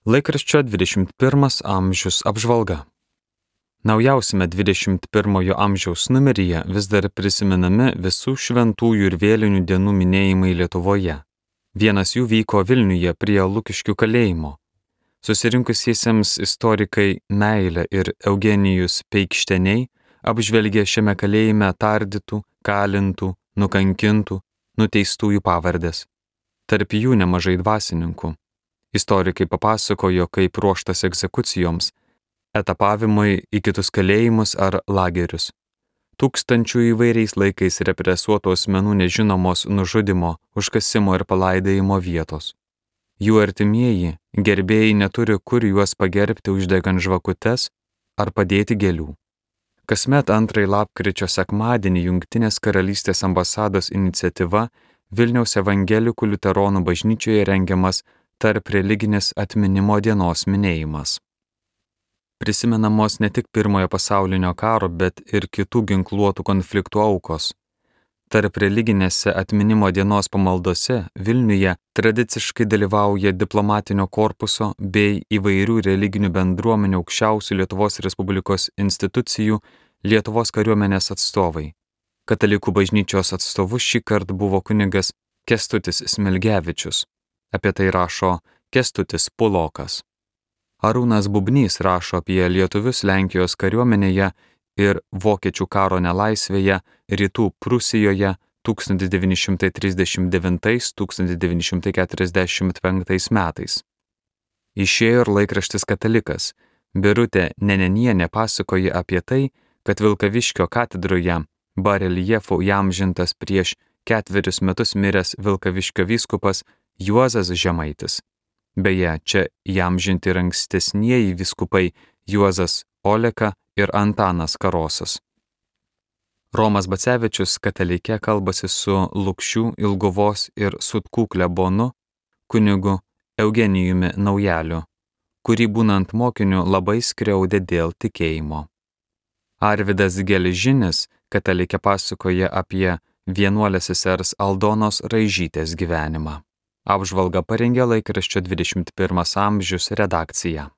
Laikraščio 21 amžius apžvalga. Naujausiame 21 amžiaus numeryje vis dar prisimenami visų šventųjų ir vėlinių dienų minėjimai Lietuvoje. Vienas jų vyko Vilniuje prie Lukiškių kalėjimo. Susirinkusiesiems istorikai Meilė ir Eugenijus Peikšteniai apžvelgė šiame kalėjime tardytų, kalintų, nukankintų, nuteistųjų pavardės. Tarp jų nemažai dvasininkų. Istorikai papasakojo, kaip ruoštas egzekucijoms, etapavimui į kitus kalėjimus ar lagerius. Tūkstančių įvairiais laikais represuotų asmenų nežinomos nužudimo, užkasimo ir palaidojimo vietos. Jų artimieji, gerbėjai neturi kur juos pagerbti uždegant žvakutes ar padėti gėlių. Kasmet 2 lapkričio sekmadienį Jungtinės karalystės ambasados iniciatyva Vilniaus evangelikų liuteronų bažnyčioje rengiamas tarp religinės atminimo dienos minėjimas. Prisimenamos ne tik Pirmojo pasaulinio karo, bet ir kitų ginkluotų konfliktų aukos. Tarp religinėse atminimo dienos pamaldose Vilniuje tradiciškai dalyvauja diplomatinio korpuso bei įvairių religinių bendruomenių aukščiausių Lietuvos Respublikos institucijų Lietuvos kariuomenės atstovai. Katalikų bažnyčios atstovu šįkart buvo kunigas Kęstutis Smilgevičius. Apie tai rašo Kęstutis Pulokas. Arūnas Bubnys rašo apie lietuvius Lenkijos kariuomenėje ir vokiečių karo nelaisvėje Rytų Prūsijoje 1939–1945 metais. Išėjo ir laikraštis Katalikas. Birutė Nenenienė pasakoja apie tai, kad Vilkaviškio katedroje bareljefu įamžintas prieš 4 metus miręs Vilkaviškio vyskupas Juozas Žemaitis. Beje, čia įamžinti ir ankstesnieji vyskupai Juozas Oleka ir Antanas Karosas. Romas Bacevičius Katalike kalbasi su Lukšių, Ilguvos ir Sutkų klebonu kunigu Eugenijumi Naujaliu, kurį būnant mokiniu labai skriaudė dėl tikėjimo. Arvydas Geležinis Katalike pasakoja apie vienuolės sesers Aldonos Raižytės gyvenimą. Apžvalgą parengė laikraščio 21 amžius redakcija.